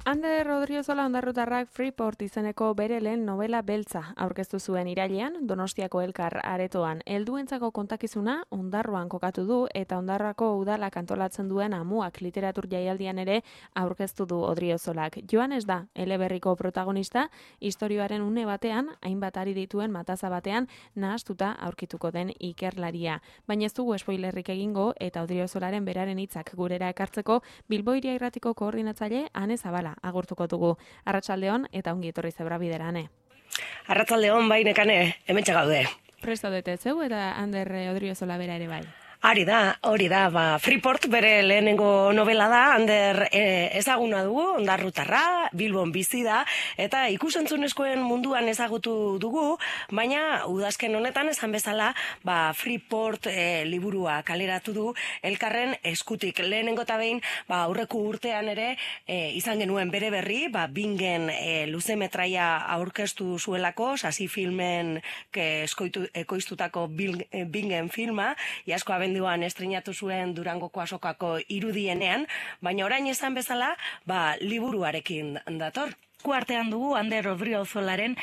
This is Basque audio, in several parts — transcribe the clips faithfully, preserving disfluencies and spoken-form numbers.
Ander Odriozola ondarrutarrak Freeport izeneko bere lehen novela beltza aurkeztu zuen irailean, Donostiako Elkar aretoan. Helduentzako kontakizuna Ondarroan kokatu du eta Ondarroako udalak antolatzen duen Amuak literatur jaialdian ere aurkeztu du Odriozolak. Joanes da eleberriko protagonista, istorioaren une batean, hainbat ari dituen mataza batean nahastuta aurkituko den ikerlaria. Baina ez dugu spoilerrik egingo eta Odriozolaren beraren hitzak gurera ekartzeko Bilbo Hiria Irratiko koordinatzaile Ane Zabala agurtuko dugu. Arratsaldeon eta ongi etorri Zebrabide-ane. Arratsaldeon bai nekane, hementxe gaude. Presto dute zeu eta Ander Odriozola bera ere bai. Hori da, hori da, ba, Freeport bere lehenengo novela da, Ander e, ezaguna dugu, ondarrutarra, Bilbon bizi da, eta ikusentzunezkoen munduan ezagutu dugu, baina udazken honetan esan bezala, ba, Freeport e, liburua kaleratu du, Elkarren eskutik lehenengo eta behin, ba, aurreko urtean ere, e, izan genuen bere berri, ba, Bingen e, luze metraia aurkeztu zuelako, sasi filmen ke, eskoitu, ekoiztutako Bingen filma, iasko abenduan estrenatu zuen Durangoko azokako irudienean, baina orain esan bezala, ba, liburuarekin dator. Eskuartean dugu Ander Odriozolaren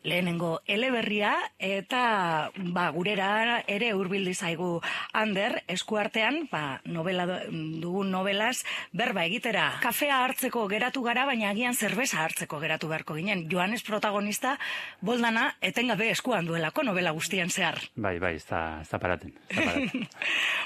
lehenengo eleberria eta ba, gurera ere hurbildu zaigu Ander eskuartean ba, novela dugun novelaz berba egitera. Kafea hartzeko geratu gara, baina agian zerbeza hartzeko geratu beharko ginen. Joanes protagonista boldana etengabe eskuan duelako novela guztien zehar. Bai, bai, ez da, ez da paraten. Ez da paraten.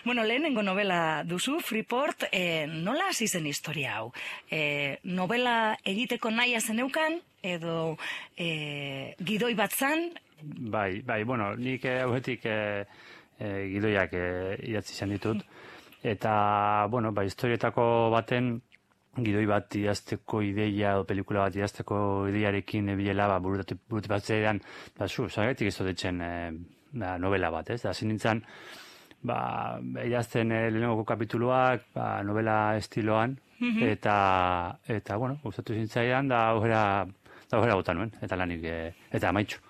Bueno, lehenengo novela duzu, Freeport, eh, nola hasi zen historia hau? Eh, novela egiteko naia zeneukan, edo eh, gidoi bat zan? Bai, bai, bueno, nik hauetik eh, eh, gidoiak eh, idatzi izan ditut. Eta, bueno, ba, historietako baten gidoi bat idazteko ideia edo pelikula bat idazteko ideiarekin ebilela, ba, burut batzean, ba, zu, zagatik ez dodetzen eh, ba, novela bat, ez? Da, zin nintzen, ba, idazten eh, lehenengoko kapituluak, ba, novela estiloan, mm-hmm. eta, eta, bueno, gustatu zintzaidan, da, aurrera, da, aurrera bota nuen, eta lanik, eh, eta amaitxu.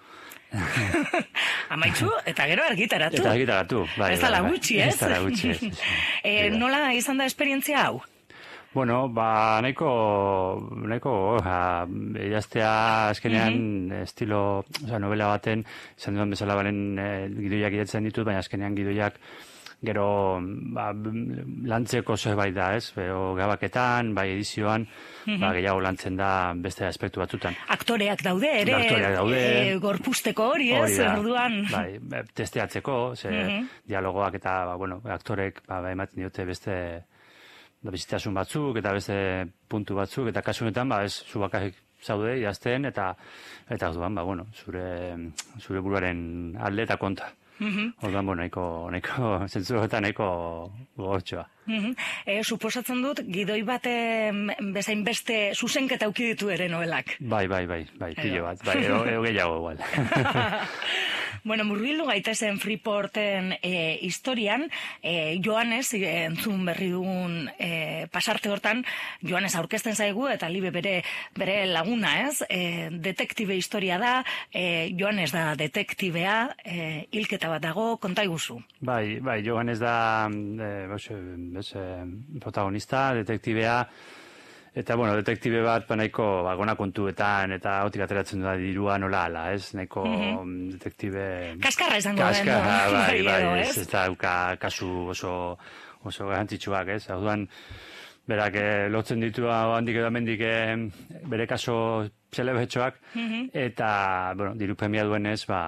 Amaitxu, eta gero argitaratu. Eta argitaratu, bai. Ez da gutxi, ez? Ez da gutxi, ez. eh, nola izan da esperientzia hau? Bueno, ba, nahiko, nahiko, ja, idaztea azkenean mm-hmm. estilo, oza, novela baten, izan duen bezala balen eh, gidoiak idatzen ditut, baina azkenean gidoiak gero, ba, lantzeko zerbait da, ez? O, gabaketan, bai edizioan, mm-hmm. ba, gehiago lantzen da beste aspektu batzutan. Aktoreak daude, ere, Aktoreak daude, e, gorpuzteko hori, ez? Orduan. Bai, testeatzeko, ze, mm-hmm. dialogoak eta, ba, bueno, aktorek, ba, ematen diote beste, da bizitasun batzuk eta beste puntu batzuk eta kasu honetan ba ez zu bakarrik zaude idazten eta eta orduan ba bueno zure zure buruaren alde eta kontra. Mm-hmm. Orduan bueno nahiko nahiko zentzu horretan nahiko gogotxoa. Mm-hmm. E, suposatzen dut gidoi bate bezain beste zuzenketa auki ditu ere novelak. Bai, bai, bai, bai, pilo bat, bai, ero, ero gehiago igual. Bueno, murgildu gaitezen Freeporten e, historian, e, Joanes, e, entzun berri dugun e, pasarte hortan, Joanes aurkezten zaigu, eta libe bere, bere laguna, ez? E, detektibe historia da, e, Joanes da detektibea, e, hilketa bat dago, konta iguzu. Bai, bai, Joanes da e, bos, bos, e, protagonista, detektibea, eta, bueno, detektibe bat, ba, nahiko, ba, gona kontuetan, eta hotik ateratzen da dirua nola ala, ez? Nahiko mm-hmm. detektibe... Kaskarra izango den. Kaskarra, bai, bai, edo, ez, ez da, uka, kasu oso, oso garrantzitsuak, ez? Orduan, berak, eh, lotzen ditu handik edo amendik eh, bere kaso zelebetxoak, mm-hmm. eta, bueno, diru premia duenez, ba,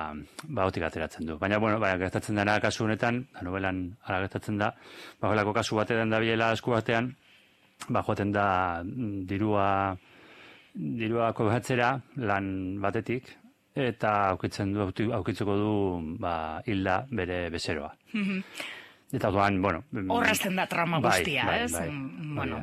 ba, hotik ateratzen du. Baina, bueno, ba, gertatzen dena kasu honetan, da novelan ara gertatzen da, ba, holako kasu batean da biela esku batean, ba, joaten da dirua dirua kobratzera lan batetik eta aukitzen du aukitzeko du ba hilda bere bezeroa. Mm-hmm. Eta orduan, bueno, horrazten da trama guztia, bai, ez? Bai, bai, bueno,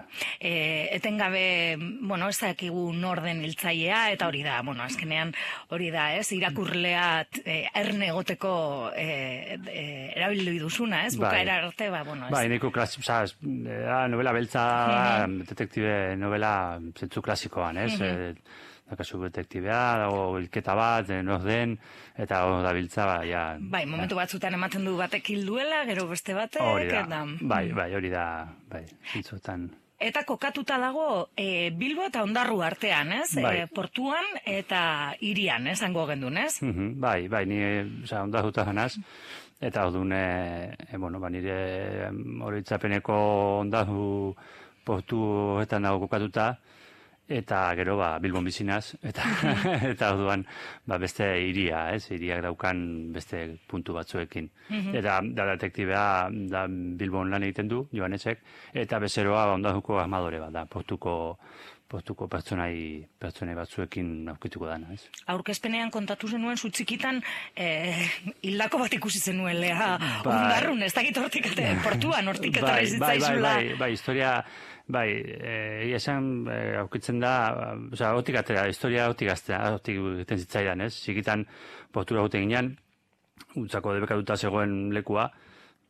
eh, etengabe, bueno, ez dakigu norden hiltzailea eta hori da, bueno, azkenean hori da, ez? Irakurlea eh, erne egoteko eh, eh, erabildu duzuna, ez? Bukaera arte, ba, bueno, ez? Bai, neko klasiko, sabes, novela beltza, mm-hmm. detektibe novela zentzu klasikoan, ez? Mm-hmm. Eh, Dakazu detektibea, dago hilketa bat, nor den, eta hor dabiltza, ba, ja... Bai, momentu batzutan ematen du batek hilduela, gero beste batek, hori da, eta... bai, bai, hori da, bai, zintzutan... eta kokatuta dago e, Bilbo eta Ondarru artean, ez? Bai. E, portuan eta hirian, esango gendun, ez? Mhm, bai, bai, ni osea Ondarruta janaz. Eta orduan, e, e, bueno, ba, nire oroitzapeneko Ondarru portu horretan dago kokatuta, eta gero ba, Bilbon bizinaz, eta, eta orduan ba, beste hiria, ez, hiriak daukan beste puntu batzuekin. Eta da detektibea da Bilbon lan egiten du, Joanesek, eta bezeroa ba, Ondarruko armadore bat da, portuko portuko pertsonai, pertsonai batzuekin aurkituko dana, ez? Aurkezpenean kontatu zenuen zutzikitan eh, hildako bat ikusi zenuen leha Ondarrun, ez dakit hortik portuan, hortik etorri zitzaizula. Bai, bai, bai, historia, bai, egia esan eh, aurkitzen da, osea, hortik atera, historia hortik aztea, hortik egiten zitzaidan, ez? Zikitan portura guten ginean, utzako debekatuta zegoen lekua,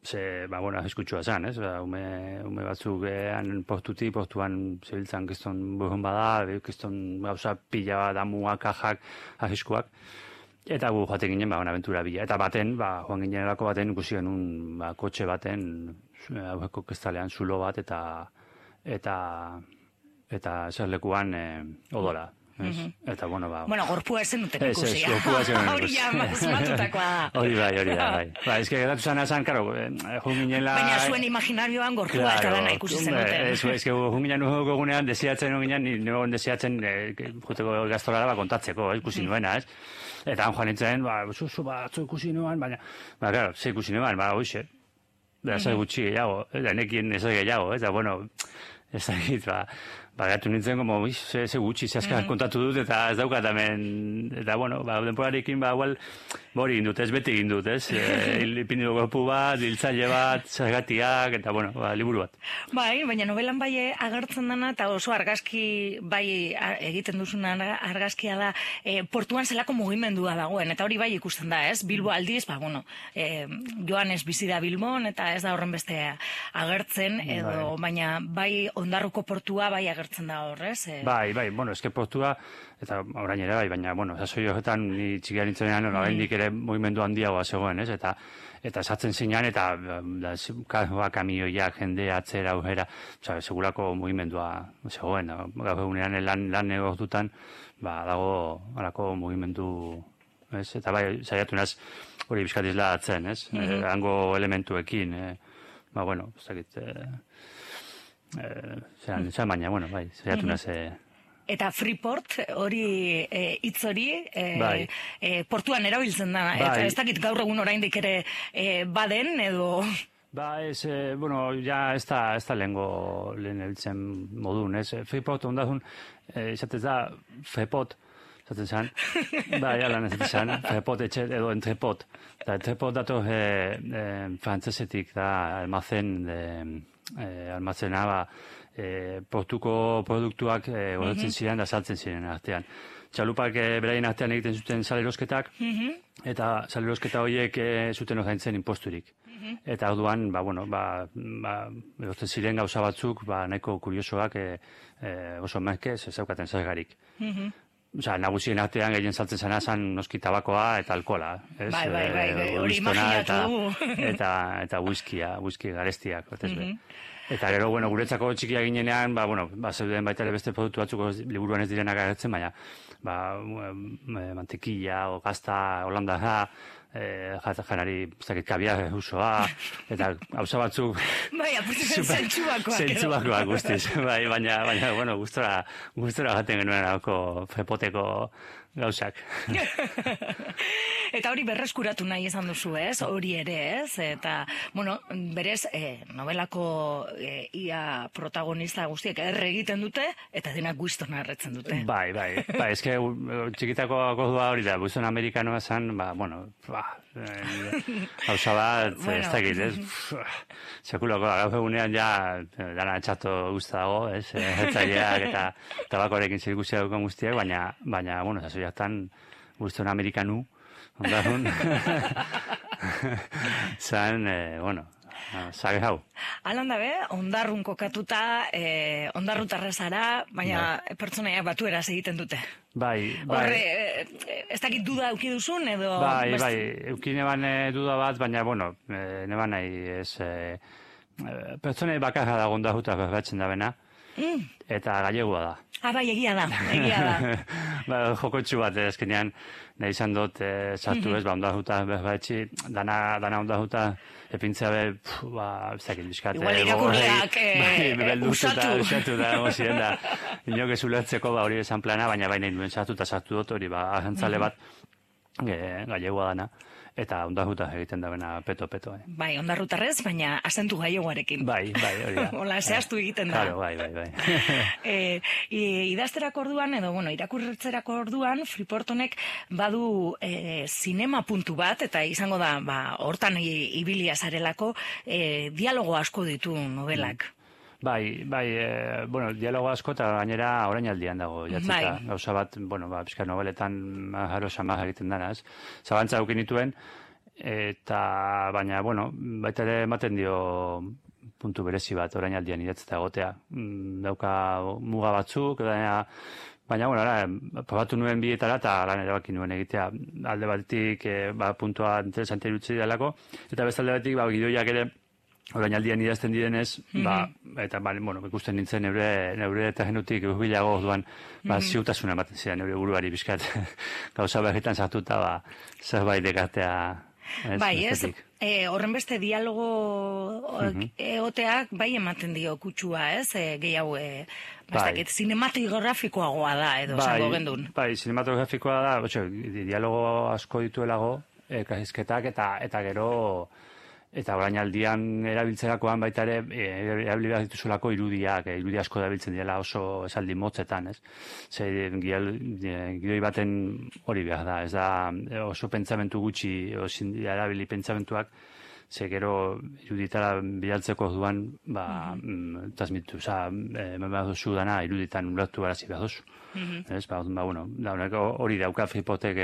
ze, ba, bueno, eskutsua zen, ez? Ba, ume, ume batzuk ean portuti, portuan zebiltzan kiston burun bada, kiston gauza pila damua, kajak, ahiskuak. Eta gu joaten ginen, ba, aventura bila. Eta baten, ba, joan ginen erako baten, ikusi genuen, ba, kotxe baten, aurreko kestalean zulo bat, eta, eta, eta eserlekuan e, odola. Es, eta, bueno, ba... Bueno, gorpua esen duten ikusi. Ez, ez, gorpua esen duten ikusi. Hori ja, mazmatutakoa da. Hori bai, hori da, bai. Ba, ez que geratu zan azan, karo, jun ginela... Baina zuen imaginarioan gorpua claro, eta dana ikusi zen duten. Ez, ez, que jun ginen nuko gunean, desiatzen ginen, nire desiatzen, juteko gaztolara ba, kontatzeko, ez, ikusi nuena, ez? Eta han joan nintzen, ba, zuzu batzu ikusi nuan, baina... Ba, claro, ze ikusi nuan, ba, hoxe. Ba, zai gutxi gehiago, eta nekien ez gehiago, eta, bueno, ez da egit, ba... Ba, gatu nintzen, como, ze, ze gutxi, ze azkar mm -hmm. kontatu dut, eta ez daukat hemen, eta, bueno, ba, denporarekin, ba, igual, bori egin dut, ez, beti egin dut, ez, e, ipindu gopu bat, diltzaile bat, zergatiak, eta, bueno, ba, liburu bat. Bai, baina novelan bai agertzen dana, eta oso argazki, bai, egiten duzuna argazkia da, e, portuan zelako mugimendua dagoen, eta hori bai ikusten da, ez, Bilbo aldiz, ba, bueno, e, Joanes bizi da Bilbon, eta ez da horren beste agertzen, edo, bai. Baina, bai, Ondarruko portua, bai, agertzen da horrez. Eh? Bai, bai, bueno, eske portua, eta orain ere bai, baina, bueno, sasoi horretan ni txikia nintzenean, mm. oraindik ere mugimendu handiagoa zegoen, ez? Eta eta sartzen zinean, eta da, karroa, kamioiak, jende, atzera, aurrera, oza, segurako mugimendua zegoen. Gaur egunean lan, lan negoztutan, ba, dago alako mugimendu, ez? Eta bai, saiatu naz, hori bizkatizla atzen, ez? Mm -hmm. e, hango elementuekin, e, ba, bueno, ez dakit... E, Eh, zeran, zeran baina, bueno, bai, zaiatu naz... Eh... Eta Freeport, hori, hitz e, hori, e, bai. e, portuan erabiltzen da, bai. Eta ez dakit gaur egun oraindik ere e, baden, edo... Ba, ez, eh, bueno, ja ez da, ez da lehengo lehen erabiltzen modun, ez? Freeport ondazun, eh, izatez da, Frepot, zaten zan, bai, alan ez zan, Frepot etxe, edo entrepot. Da, entrepot dato eh, eh, frantzesetik da, almazen, de, Eh, almazenaba eh, portuko produktuak eh, gozatzen ziren da saltzen ziren artean. Txalupak eh, beraien artean egiten zuten salerosketak, mm-hmm. eta salerosketa horiek eh, zuten ordaintzen imposturik. Mm-hmm. Eta orduan, ba, bueno, ba, ba, egotzen ziren gauza batzuk, ba, nahiko kuriosoak eh, eh, oso merkez ez zaukaten zergarik. Mm-hmm. Osa, nagusien artean gehien saltzen zena zan noski tabakoa eta alkola. Ez? Bai, bai, bai, bai, hori imaginatu. Eta, eta, eta whiskia, whisky garestiak. Mm-hmm. Eta gero, bueno, guretzako txikia ginenean, ba, bueno, ba, zeuden baita ere beste produktu batzuk liburuan ez direnak agertzen, baina, ba, mantekilla, o gazta, holandarra, eh, janari, zakit, kabiar usoa, eta hauza batzuk... Bai, aputzen zentsubakoak. Zentsubakoak guztiz, bai, baina, baina, bueno, gustora, gustora jaten genuen hauko frepoteko gauzak. Eta hori berreskuratu nahi izan duzu, ez? Hori ere, ez? Eta, bueno, berez, eh, novelako eh, ia protagonista guztiek erre egiten dute, eta denak guiztona erretzen dute. Bai, bai. Ba, eske txikitako akodua hori da, guizton amerikanoa zan, ba, bueno, ba, hauza bat, bueno. Ez dakit, ez? Sekulako, gaur egunean ja, dana txato guzta dago, ez? Hertzaileak eta tabakorekin zirikusia dukan guztiak, baina, baina, bueno, zazoiaktan guizton amerikanu, ondarun, zan, eh, bueno, zage hau. Alan dabe, ondarrun kokatuta, eh, ondarrutarra zara, baina bai. Pertsonaiak batueraz egiten dute. Bai, bai. Horre, eh, ez dakit duda euki duzun, edo... Bai, best... bai, euki neban eh, duda bat, baina, bueno, eh, neban nahi ez... Eh, pertsonai bakarra da ondarruta berbatzen da bena, Mm. Eta gallegoa da. Ah, bai, egia da, egia da. Ba, jokotxu bat, ezkenean, nahi izan dut, e, sartu ez, ba, ondajuta, behar dana, dana ondajuta, epintzea be, pf, ba, bizakit, bizkat. Igual irakurleak usatu. Usatu da, ego ziren da, inok ez ulertzeko, ba, hori esan plana, baina baina nuen sartu eta sartu dut, hori, ba, agentzale bat, e, gallegoa dana. Eta ondajuta egiten da bena peto-peto. Eh. Bai, ondarrutarrez, baina azentu gaiegoarekin. Bai, bai, hori da. Hola, zehaztu egiten da. Claro, bai, bai, bai. e, idazterako orduan, edo, bueno, irakurretzerako orduan, Freeport honek badu e, zinema puntu bat, eta izango da, ba, hortan ibilia zarelako, e, dialogo asko ditu novelak. Mm. Bai, bai, e, bueno, dialogo asko eta gainera orainaldian dago jatzita. Bai. Gauza bat, bueno, ba, pizka nobeletan jaro samaz egiten dana, ez? Zabantza eukin dituen, eta baina, bueno, baita ere ematen dio puntu berezi bat orainaldian idatzita egotea. Dauka muga batzuk, baina, baina, bueno, ara, probatu nuen bietara eta lan erabaki nuen egitea. Alde batetik, e, ba, puntua interesante irutzi delako, eta beste alde batetik, ba, gidoiak ere, orainaldian idazten direnez, mm-hmm. ba, eta, ba, bueno, ikusten nintzen neure, neure eta genutik urbilago orduan, ba, mm-hmm. ziutasuna ematen ziren neure buruari bizkat, gauza berritan sartuta, ba, zerbait dekartea. Ez, bai, ez, e, horren beste dialogo mm-hmm. egoteak bai ematen dio kutsua, ez, e, gehiago, e, bastakit, bai. Zinematografikoagoa da, edo, bai, zango gendun. Bai, zinematografikoa da, otxo, dialogo asko dituelago, e, kahizketak, eta, eta gero, eta orainaldian erabiltzerakoan baita ere erabili behar dituzulako irudiak, irudi asko erabiltzen dira oso esaldi motzetan, ez? Ze gidoi baten hori behar da, ez da oso pentsamentu gutxi erabili pentsamentuak, ze gero iruditara bilaltzeko orduan, ba, mm-hmm. transmitu, oza, eman behar duzu dana iruditan ulertu barazi behar duzu. Mm-hmm. Ez, ba, ba, bueno, hori dauka Freeportek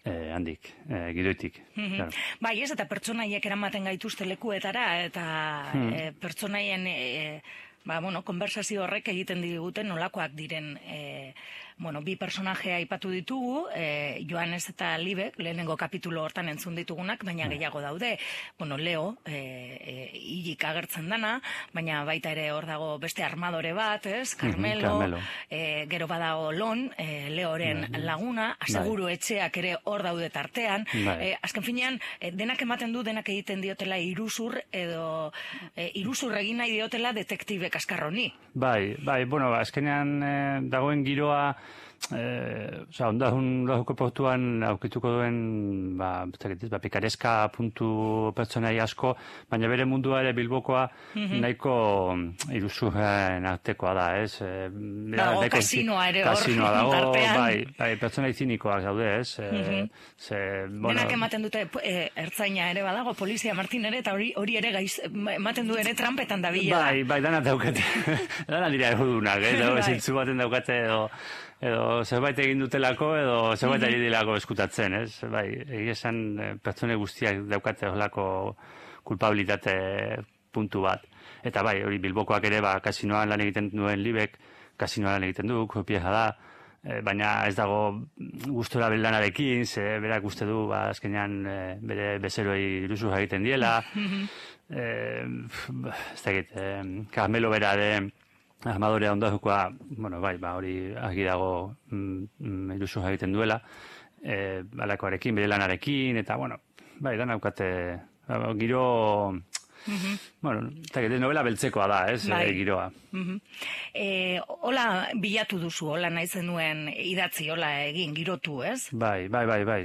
Eh, handik, eh, gidoitik. Mm-hmm. Claro. Bai, ez, eta pertsonaiek eramaten gaituzte lekuetara, eta hmm. eh, pertsonaien, eh, ba, bueno, konversazio horrek egiten diguten nolakoak diren, eh, bueno, bi personajea aipatu ditugu, eh, Joanes eta Libek, lehenengo kapitulo hortan entzun ditugunak, baina gehiago daude, bueno, Leo, eh, eh, hilik agertzen dana, baina baita ere hor dago beste armadore bat, ez, Carmelo, mm-hmm, Carmelo. Eh, gero badago Lon, eh, Leoren mm-hmm. laguna, aseguru bai. Etxeak ere hor daude tartean, bai. eh, azken finean, eh, denak ematen du, denak egiten diotela iruzur, edo eh, iruzur egin nahi diotela detektibe kaskarroni. Bai, bai, bueno, azkenean eh, dagoen giroa, Eh, oza, ondahun lahuko portuan aukituko duen ba, ba, pikareska puntu pertsonai asko, baina bere mundua ere Bilbokoa mm-hmm. nahiko iruzurren artekoa da, ez? E, dago nahiko, kasinoa ere hor tartean. Bai, bai, pertsonai zinikoak daude, ez? Mm-hmm. E, ze, bueno, denak ematen dute e, ertzaina ere badago, polizia Martin ere, eta hori, hori ere gaiz, ematen du ere trampetan da bila. Bai, bai, dana daukate. dana dira egudunak, eh? Dago, bai. Zintzu baten daukate edo edo zerbait egin dutelako, edo zerbait mm-hmm. ari dilako eskutatzen, ez? Bai, egia esan pertsone guztiak daukate horrelako kulpabilitate puntu bat. Eta bai, hori Bilbokoak ere, ba, kasinoan lan egiten duen Libek, kasinoan lan egiten du, kopieja da, e, baina ez dago gustora belanarekin, ze berak uste du, ba, azkenean e, bere bezeroi iruzur egiten diela, mm-hmm. e, ez dakit, e, Carmelo bera de armadorea ondazukoa, bueno, bai, ba, hori argi dago mm, mm, iruzur egiten duela, e, balakoarekin, bere lanarekin, eta, bueno, bai, da naukate, ba, giro, mm-hmm. bueno, eta gero novela beltzekoa da, ez, bai. e, giroa. Mm-hmm. e, hola bilatu duzu, hola nahi zenuen idatzi, hola egin, girotu, ez? Bai, bai, bai, bai,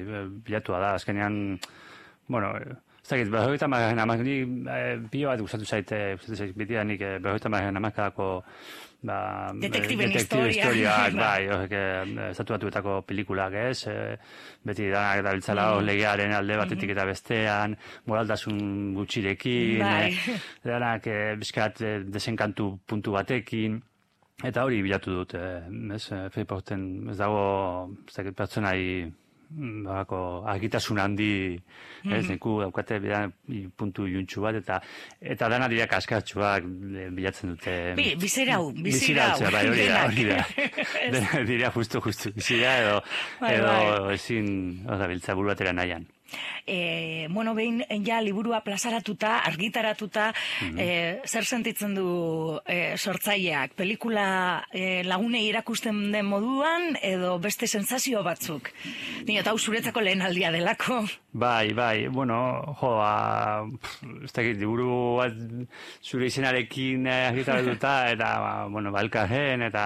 bilatua da, azkenean, bueno, ez dakit, berrogeita marren amak, ni pio bat gustatu zaite, gustatu zaite, beti da nik berrogeita marren amakadako ba, detektiben historiak, bai, horrek, estatu batuetako pelikulak, ez, e, beti danak da biltzala mm. legearen alde batetik eta bestean, moraltasun gutxirekin, bai. e, danak e, bizkat e, desenkantu puntu batekin, eta hori bilatu dut, e, ez, Freeporten, ez dago, ez dakit, pertsonai, Barako, argitasun handi, mm-hmm. ez, neku daukate bidan puntu juntxu bat, eta eta dana dira kaskartxuak bilatzen dute. Bi, bizera hau, bizera hau. Bai, hori da, hori da. Dena dira justu, justu, bizera edo, bai, edo bai. Ezin, oza, biltza buru batera nahian. e, bueno, behin ja liburua plazaratuta, argitaratuta, mm-hmm. e, zer sentitzen du e, sortzaileak? Pelikula e, lagunei erakusten den moduan, edo beste sensazio batzuk? Nio, eta hau zuretzako lehen aldia delako. Bai, bai, bueno, jo, ba, ez dakit, liburu bat zure izenarekin argitaratuta, eta, ba, bueno, balkarren, eta,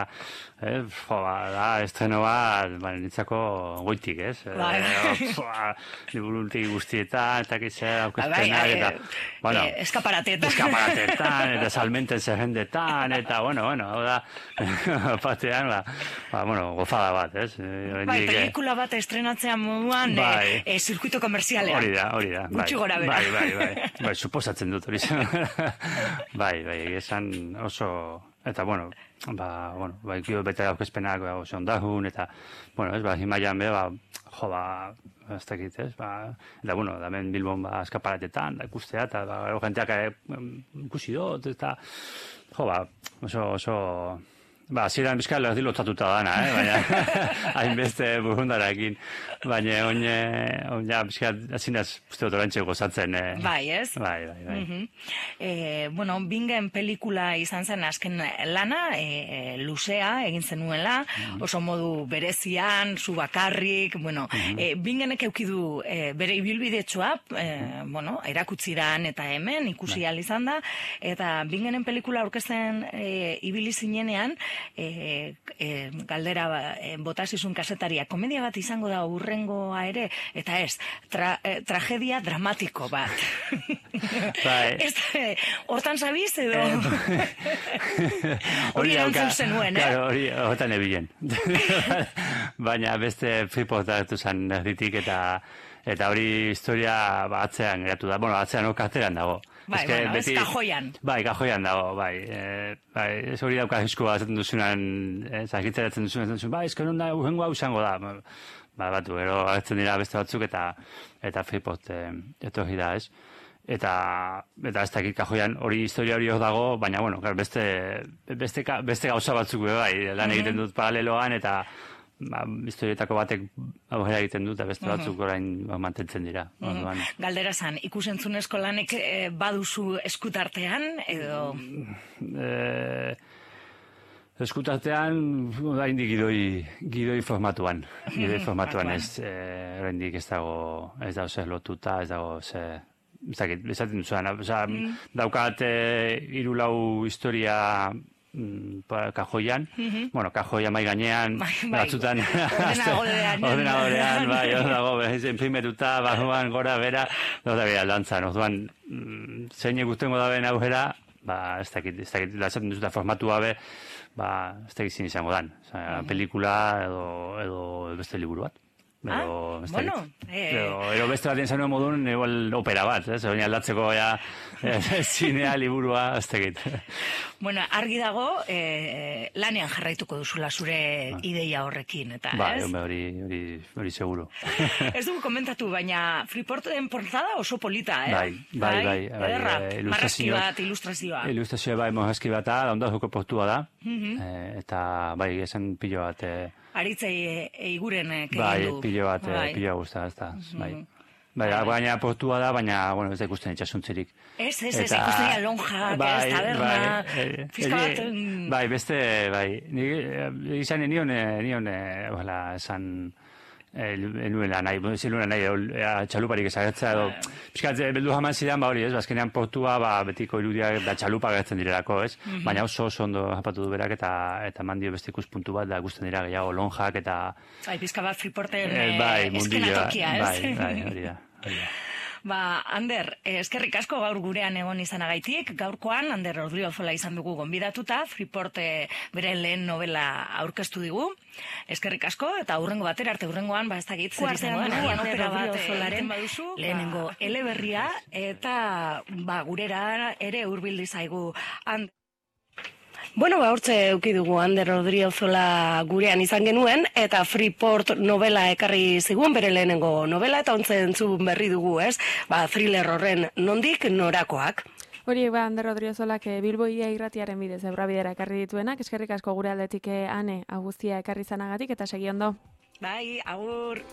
eh, jo, ba, da, estreno bat, ba, nitzako goitik, ez? Bai. E, liburuntik guztietan, eta kitzer, aukizpenak, eta, bueno, e, eskaparatetan. Eskaparatetan, eta salmenten zerrendetan, eta, bueno, bueno, hau da, batean, ba, ba, bueno, gozada bat, ez? Bai, pelikula bat estrenatzean moduan, bai. e, zirkuito komerzialean. Hori da, hori da. Gutxi gora bera. Bai, bai, bai, bai, suposatzen dut hori. Bai, bai, esan oso, eta, bueno, ba, bueno, bai, kio bete aurkezpenak, ba, oso ondahun, eta, bueno, ez, ba, himaian be, ba, jo, ba, ez dakit, ez, ba, eta, bueno, da ben Bilbon, ba, eskaparatetan, da, ikustea, eta, ba, jenteak ikusi dut, eta, jo, ba, oso, oso, ba, ziren bizkal erdi lotatuta dana, eh? Baina, hainbeste burundarakin, baina, oine, oina, bizkal, azinaz, uste dut orantxe gozatzen, eh? Bai, ez? Bai, bai, bai. Mm-hmm. eh, bueno, Bingen pelikula izan zen azken lana, eh, luzea, egin zenuela, mm-hmm. oso modu berezian, zu bakarrik, bueno, mm-hmm. eh, Bingenek eukidu eh, bere ibilbidetsua, eh, bueno, erakutsiran eta hemen, ikusi ahal izan da, eta Bingenen pelikula aurkezten eh, ibili zinenean, E, e, galdera e, botasizun kasetaria, komedia bat izango da urrengoa ere, eta ez, tra, e, tragedia dramatiko bat. Bai. Ez, e, hortan sabiz edo? Hori erantzun zenuen, eh? Claro, hori hortan ebilen. Baina beste Freeport hartu zen erditik, eta eta hori historia ba, atzean geratu da. Bueno, atzean okateran dago. Bai, es que bueno, beti, ez kajoian. Bai, kajoian dago, bai. E, bai, ez hori dauka eskua zaten duzunan, ez agitzeratzen duzunan, duzunan, bai, ez que non da, urrengo hau izango da. Ba, batu, gero agertzen dira beste batzuk, eta eta Freeport e, etorri da, ez? Eta, eta ez dakit kajoian hori historia hori hor dago, baina, bueno, beste, beste, beste gauza batzuk, bai, lan egiten dut paraleloan, eta ba, historietako batek aurrera egiten dut, eta beste batzuk orain ba, mantentzen dira. Mm-hmm. Galdera zan, ikusentzunezko lanek e, baduzu eskutartean, edo? E, eskutartean, oraindik gidoi, gidoi formatuan. Gidoi formatuan ez, e, oraindik ez dago, ez dago zer lotuta, ez dago zer, ez dakit, esaten duzuan, oza, mm. daukat e, hiru lau historia kajoian, mm-hmm. bueno, kajoia mai gainean, bai, bai. batzutan ordenagorean, ordenagorean, bai, hor dago, imprimetuta, barruan, gora, bera, da bera, lantzan, orduan, zein egustengo da ben aurrera, ba, ez dakit, ez dakit, lasatzen duzuta formatu gabe, ba, ez dakit zin izango dan, o sea, mm-hmm. pelikula edo, edo beste liburu bat. Pero, ah, bueno, eh... pero, ero beste bat enzanuen modun, igual opera bat, eh? Zer aldatzeko ja, eh, zinea, liburua, ez tegit. Bueno, argi dago, eh, lanean jarraituko duzula zure ah. ideia horrekin, eta, ba, ez? Ba, hori, hori, hori seguro. Ez dugu komentatu, baina Freeporten portada oso polita, eh? Bai, bai, bai. bai Ederra, eh, marrazki bat, ilustrazioa. Ilustrazioa bai, marrazki bat da, ondazuko portua da, mm-hmm. eh, eta bai, esan pilo bat... Eh, Aritzei eiguren egin du. Bai, pilo bat, bai. Pilo gusta, ez da, bai. Bai, baina portua da, baina, bueno, ez da ikusten itxasuntzirik. Ez, ez, ez, ikusten lonjak, bai, ez, taberna, bai, fiska bat... Bai, beste, bai, izan nion, nion, ojalá, esan... nuela nahi, ziluela nahi, txaluparik ezagertza edo, piskat, beldu jaman zidan, ba hori, ez, bazkenean portua, ba, betiko irudia, da txalupa gertzen direlako, ez, mm-hmm. baina oso oso ondo japatu du berak, eta eta mandio beste ikuspuntu bat, da gusten dira gehiago lonjak, eta... Bai, pizka bat Freeporten eh, bai, eskenatokia, ez? Bai, bai, hori da, hori da. Ba, Ander, eskerrik asko gaur gurean egon izanagaitik. Gaurkoan, Ander Odriozola izan dugu gonbidatuta, Freeport bere lehen novela aurkeztu digu. Eskerrik asko, eta hurrengo batera, arte hurrengoan, ba, ez da zer izango da, Ander Odriozolaren lehenengo eleberria, eta ba, gurera ere hurbildu zaigu Ander. Bueno, ba, hortze euki dugu Ander Odriozola gurean izan genuen, eta Freeport novela ekarri zigun, bere lehenengo novela, eta ontzen entzun berri dugu, ez? Ba, thriller horren nondik norakoak. Horiek ba, Ander Odriozolak Bilbo ia irratiaren bidez ebrabidera ekarri dituenak, eskerrik asko gure aldetik ane, agustia ekarri zanagatik, eta segi ondo. Bai, agur!